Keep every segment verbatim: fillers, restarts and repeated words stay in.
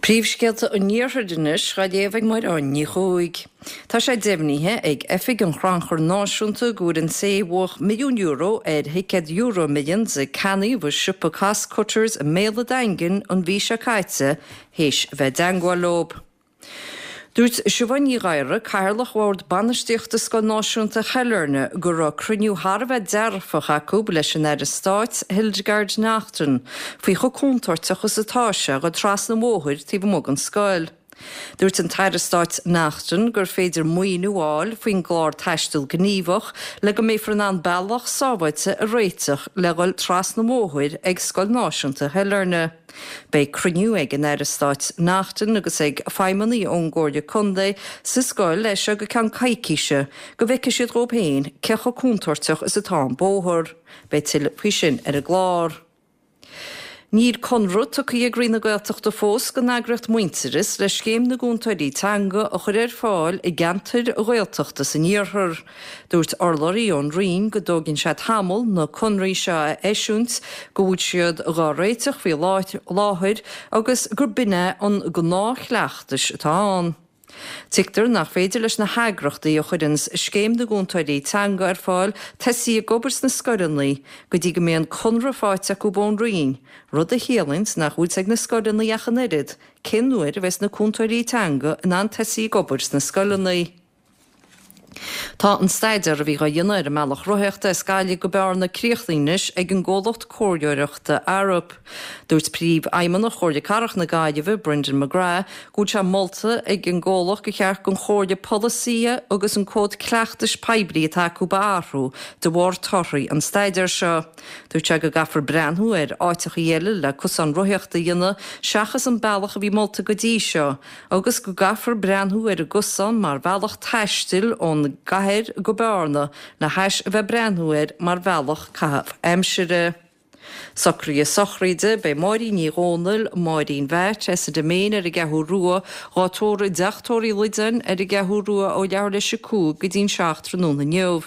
Príomhscéalta an Iarthair anois á léamh ag Máire Ní Chuaig. Tá sé deimhnithe ag Oifig an Chrannchuir Náisiúnta go bhfuair an té a bhuaigh milliún euro ar thicéad EuroMillions a ceannaíodh i siopa Costcutters i mBéal an Daingin an mhí seo caite théis a bheith i dteagmháil leo. Dúirt Siobhán Ní Ghadhra, Cathaoirleach Bhord Bainistíochta Scoil Náisiúnta Shailearna, go raibh cruinniú thar a bheith dearfach acu leis an Aire Stáit Hildegarde Naughton faoi chomh contúirteach is atá sé dul trasna an bhóthair taobh amuigh den scoil. Dúirt an tAire Stáit Naughton gur féidir maoiniú a fháil faoin gclár taisteal gníomhach le go mbeifear in ann bealach sábháilte a réiteach le dhul trasna an bhóthair ag Scoil Náisiúnta Shailearna. Beidh cruinniú ag an Aire Stáit Naughton agus ag feidhmeannaigh ón gComhairle Contae sa scoil leis seo go ceann coicíse go bhfeicfidh siad dhóibh féin cé chomh contúirteach is atá an bóthar. Beidh tuilleadh faoi sin ar an gclár. Níl conradh tugtha ag Roinn na Gaeltachta fós don eagraíocht Muintearas le scéim na gcúntóirí teanga a chur ar fáil i gceantair Ghaeltachta san iarthar. Dúirt urlabhraí ón Roinn go dtógann sé tamall na conraí seo a eisiúint, go bhfuil siad dhá réiteach faoi láthair agus gur b'in é an gnáthchleachtas atá ann. Tuigtear nach féidir leis na heagraíochtaí a chuireann scéim na gcúntóirí teanga ar fáil tosaí ag obair sna scoileanna go dtí go mbeidh an conradh faighte acu ón Roinn, rud a chiallaíonn nach bhfuil ag na scoileanna ach an oiread cén uair a bheas na cúntóirí teanga in ann tosaí ag obair sna scoileanna. Tá an staidéar a bhí á dhéanamh ar an mbealach rothaíochta as Gaillimh go Bearna críochnaithe anois ag an gcomhlacht comhairleoireachta Arup. Dúirt Príomhfheidhmeannach Chomhairle Cathrach na Gaillimhe, Brendan McGrath, go bhfuil sé molta ag an gcomhlacht gur cheart don chomhairle polasaithe agus an cód cleachtais poiblí atá acu a athrú de bharr torthaí an staidéir seo. Dúirt sé go gcaithfear breathnú ar áiteachaí eile le cosán rothaíochta a dhéanamh seachas an bealach a bhí molta go dtí seo, agus go gcaithfear breathnú ar an gcosán mar bhealach taistil ón gcathair go Bearna le hais a bheith breathnú air mar bhealach caitheamh aimsire. Socruithe sochraide, beidh Máirín Ní Dhomhnaill, Máirín Mheait, as an Diméin ar an gCeathrú Rua, dhá tórramh i dTeach Tórraimh Uí Loideáin ar an gCeathrú Rua ó leathuair leis a cúig go dtí'n seacht tráthnóna inniu.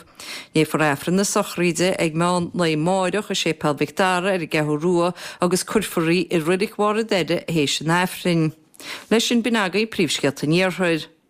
Léifear Aifreann na sochraide ag meán lae amáireach i Séipéal Mhic Dara ar an gCeathrú Rua agus cuirfear í i Reilig Bharr an Doire théis an Aifrinn. Leis sin b'in agaibh príomhscéalta an Iarthair.